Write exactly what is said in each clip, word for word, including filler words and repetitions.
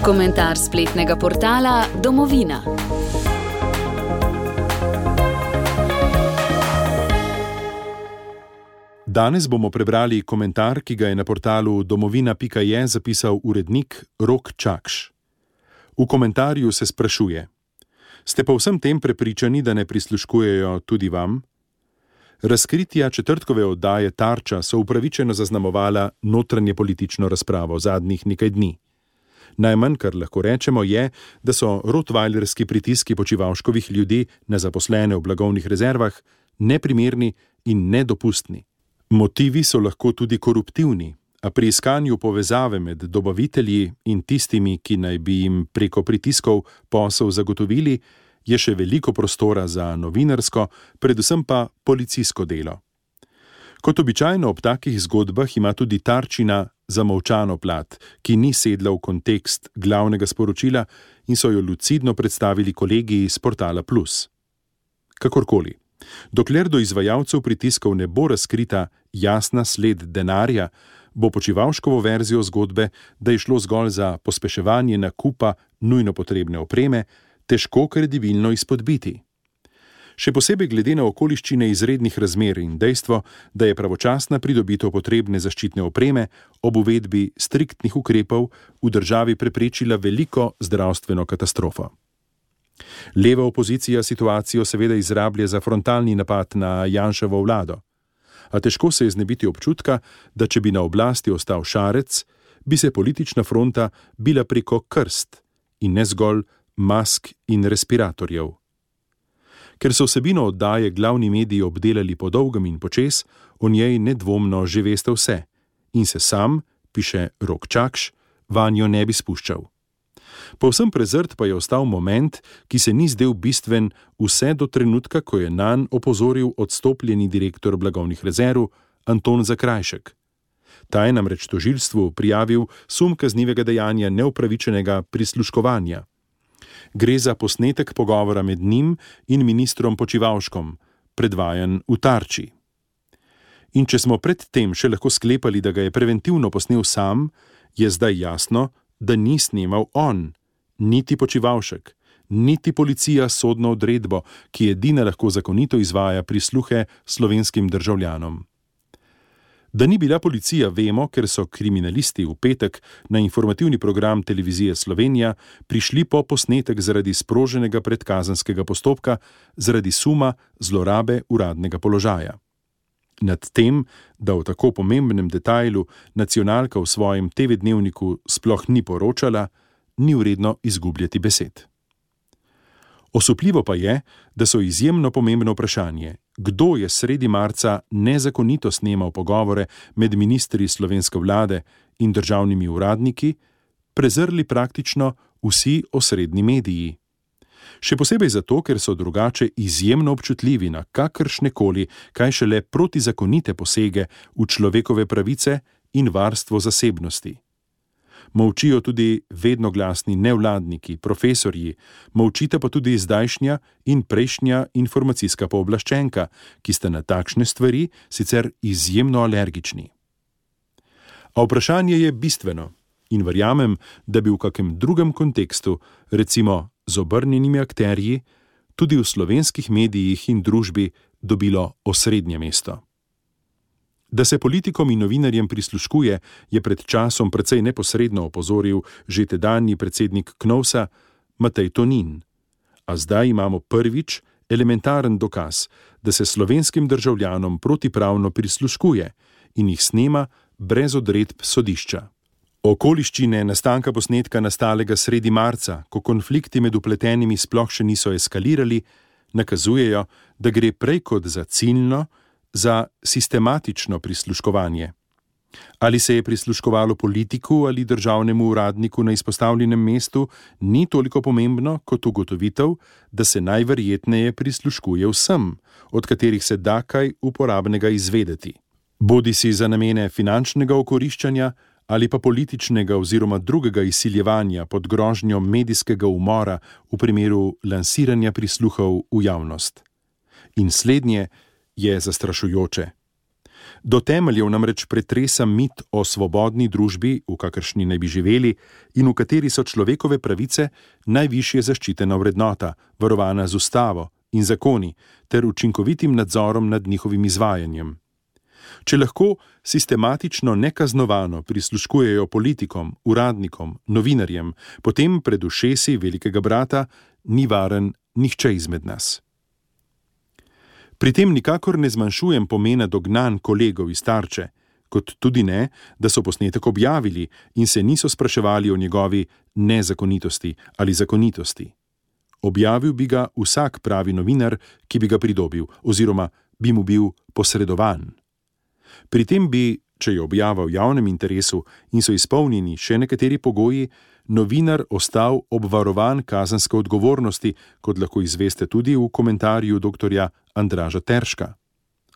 Komentar spletnega portala Domovina. Danes bomo prebrali komentar, ki ga je na portalu domovina pika je zapisal urednik Rok Čakš. V komentarju se sprašuje: Ste pa vsem tem prepričani, da ne prisluškujejo tudi vam? Razkritja četrtkove oddaje Tarča so upravičeno zaznamovala notranje politično razpravo zadnjih nekaj dni. Najmanj, kar lahko rečemo, je, da so rottweilerski pritiski Počivalškovih ljudi na zaposlene v blagovnih rezervah neprimerni in nedopustni. Motivi so lahko tudi koruptivni, a pri iskanju povezave med dobavitelji in tistimi, ki naj bi jim preko pritiskov posel zagotovili, je še veliko prostora za novinarsko, predvsem pa policijsko delo. Kot običajno ob takih zgodbah ima tudi Tarčina zamolčano plat, ki ni sedla v kontekst glavnega sporočila in so jo lucidno predstavili kolegi iz portala Plus. Kakorkoli, dokler do izvajalcev pritiskov ne bo razkrita jasna sled denarja, bo Počivalškovo verzijo zgodbe, da je šlo zgolj za pospeševanje nakupa nujno potrebne opreme, težko kredibilno izpodbiti. Še posebej glede na okoliščine izrednih razmer in dejstvo, da je pravočasna pridobitev potrebne zaščitne opreme ob uvedbi striktnih ukrepov v državi preprečila veliko zdravstveno katastrofo. Leva opozicija situacijo seveda izrablja za frontalni napad na Janševo vlado, a težko se je znebiti občutka, da če bi na oblasti ostal Šarec, bi se politična fronta bila preko krst in ne zgolj mask in respiratorjev. Ker so vsebino oddaje glavni mediji obdelali po dolgem in počes, o njej nedvomno že veste vse in se sam, piše Rok Čakš, vanjo ne bi spuščal. Povsem prezrt pa je ostal moment, ki se ni zdel bistven vse do trenutka, ko je nanj opozoril odstopljeni direktor blagovnih rezerv Anton Zakrajšek. Ta je namreč tožilstvu prijavil sum kaznivega dejanja neupravičenega prisluškovanja. Gre za posnetek pogovora med njim in ministrom Počivalškom, predvajan v Tarči. In če smo pred tem še lahko sklepali, da ga je preventivno posnel sam, je zdaj jasno, da ni snemal on, niti Počivalšek, niti policija s sodno odredbo, ki edina lahko zakonito izvaja prisluhe slovenskim državljanom. Da ni bila policija, vemo, ker so kriminalisti v petek na informativni program Televizije Slovenija prišli po posnetek zaradi sproženega predkazenskega postopka zaradi suma zlorabe uradnega položaja. Nad tem, da o tako pomembnem detajlu nacionalka v svojem te ve dnevniku sploh ni poročala, ni vredno izgubljati besed. Osupljivo pa je, da so izjemno pomembno vprašanje, kdo je sredi marca nezakonito snemal pogovore med ministri slovenske vlade in državnimi uradniki, prezrli praktično vsi osrednji mediji. Še posebej zato, ker so drugače izjemno občutljivi na kakršnekoli, kaj šele protizakonite posege v človekove pravice in varstvo zasebnosti. Molčijo tudi vedno glasni nevladniki, profesorji, molčita pa tudi zdajšnja in prejšnja informacijska pooblaščenka, ki sta na takšne stvari sicer izjemno alergični. A vprašanje je bistveno in verjamem, da bi v kakem drugem kontekstu, recimo z obrnjenimi akterji, tudi v slovenskih medijih in družbi dobilo osrednje mesto. Da se politikom in novinarjem prisluškuje, je pred časom precej neposredno opozoril že tedanji predsednik Knovsa Matej Tonin. A zdaj imamo prvič elementaren dokaz, da se slovenskim državljanom protipravno prisluškuje in jih snema brez odredb sodišča. Okoliščine nastanka posnetka nastalega sredi marca, ko konflikti med vpletenimi sploh še niso eskalirali, nakazujejo, da gre prej kot za ciljno, za sistematično prisluškovanje. Ali se je prisluškovalo politiku ali državnemu uradniku na izpostavljenem mestu, ni toliko pomembno kot ugotovitev, da se najverjetneje prisluškuje vsem, od katerih se da kaj uporabnega izvedeti. Bodisi za namene finančnega okoriščanja ali pa političnega oziroma drugega izsiljevanja pod grožnjo medijskega umora v primeru lansiranja prisluhov v javnost. In slednje je zastrašujoče. Do temeljev namreč pretresa mit o svobodni družbi, v kakršni naj bi živeli in v kateri so človekove pravice najvišje zaščitena vrednota, varovana z ustavo in zakoni ter učinkovitim nadzorom nad njihovim izvajanjem. Če lahko sistematično nekaznovano prisluškujejo politikom, uradnikom, novinarjem, potem pred ušesi velikega brata ni varen nihče izmed nas. Pri tem nikakor ne zmanjšujem pomena dognanj kolegov iz Tarče, kot tudi ne, da so posnetek objavili in se niso spraševali o njegovi nezakonitosti ali zakonitosti. Objavil bi ga vsak pravi novinar, ki bi ga pridobil, oziroma bi mu bil posredovan. Pri tem bi, če je objava v javnem interesu in so izpolnjeni še nekateri pogoji, novinar ostal obvarovan kazenske odgovornosti, kot lahko izveste tudi v komentarju doktorja Andraža Terška.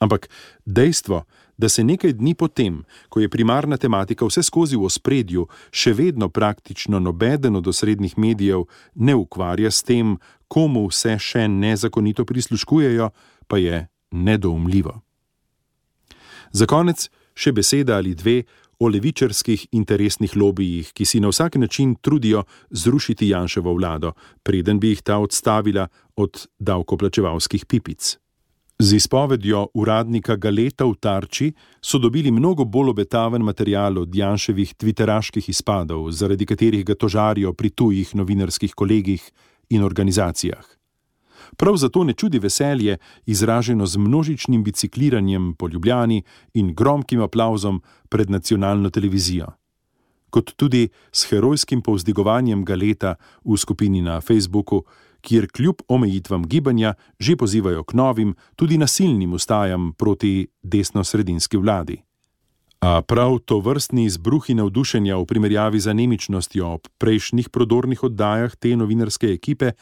Ampak dejstvo, da se nekaj dni potem, ko je primarna tematika vse skozi v ospredju, še vedno praktično nobeden od osrednjih medijev ne ukvarja s tem, komu vse še nezakonito prisluškujejo, pa je nedoumljivo. Za konec še beseda ali dve o levičarskih interesnih lobijih, ki si na vsak način trudijo zrušiti Janševo vlado, preden bi jih ta odstavila od davkoplačevalskih pipic. Z izpovedjo uradnika Galeta v Tarči so dobili mnogo bolj obetaven material od Janševih tviteraških izpadov, zaradi katerih ga tožarijo pri tujih novinarskih kolegih in organizacijah. Prav zato ne čudi veselje, izraženo z množičnim bicikliranjem po Ljubljani in gromkim aplavzom pred nacionalno televizijo. Kot tudi s herojskim povzdigovanjem Galeta v skupini na Facebooku, kjer kljub omejitvam gibanja že pozivajo k novim, tudi nasilnim vstajam proti desnosredinski vladi. A prav tovrstni izbruhi navdušenja v primerjavi z anemičnostjo ob prejšnjih prodornih oddajah te novinarske ekipe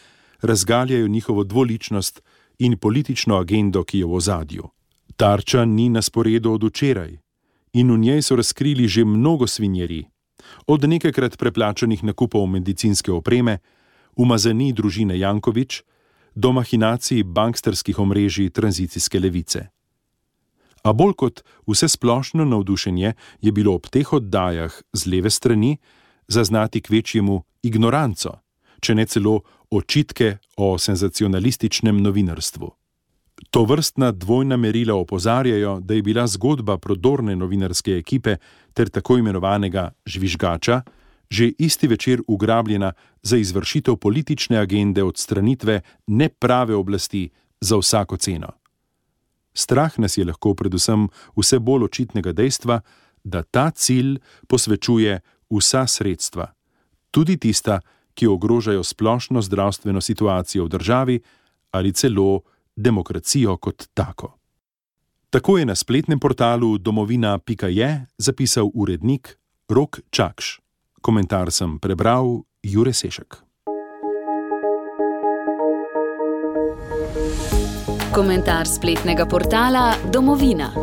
razgaljajo njihovo dvoličnost in politično agendo, ki je v ozadju. Tarča ni na sporedu od včeraj in v njej so razkrili že mnogo svinjeri, od nekajkrat preplačanih nakupov medicinske opreme, umazanij družine Janković do mahinacij banksterskih omrežij tranzicijske levice. A bolj kot vse splošno navdušenje je bilo ob teh oddajah z leve strani zaznati kvečjemu ignoranco, če ne celo očitke o senzacionalističnem novinarstvu. Tovrstna dvojna merila opozarjajo, da je bila zgodba prodorne novinarske ekipe ter tako imenovanega žvižgača že isti večer ugrabljena za izvršitev politične agende odstranitve neprave oblasti za vsako ceno. Strah nas je lahko predvsem vse bolj očitnega dejstva, da ta cilj posvečuje vsa sredstva, tudi tista, ki ogrožajo splošno zdravstveno situacijo v državi ali celo demokracijo kot tako. Tako je na spletnem portalu domovina pika je zapisal urednik Rok Čakš. Komentar sem prebral Jure Sešek. Komentar spletnega portala Domovina.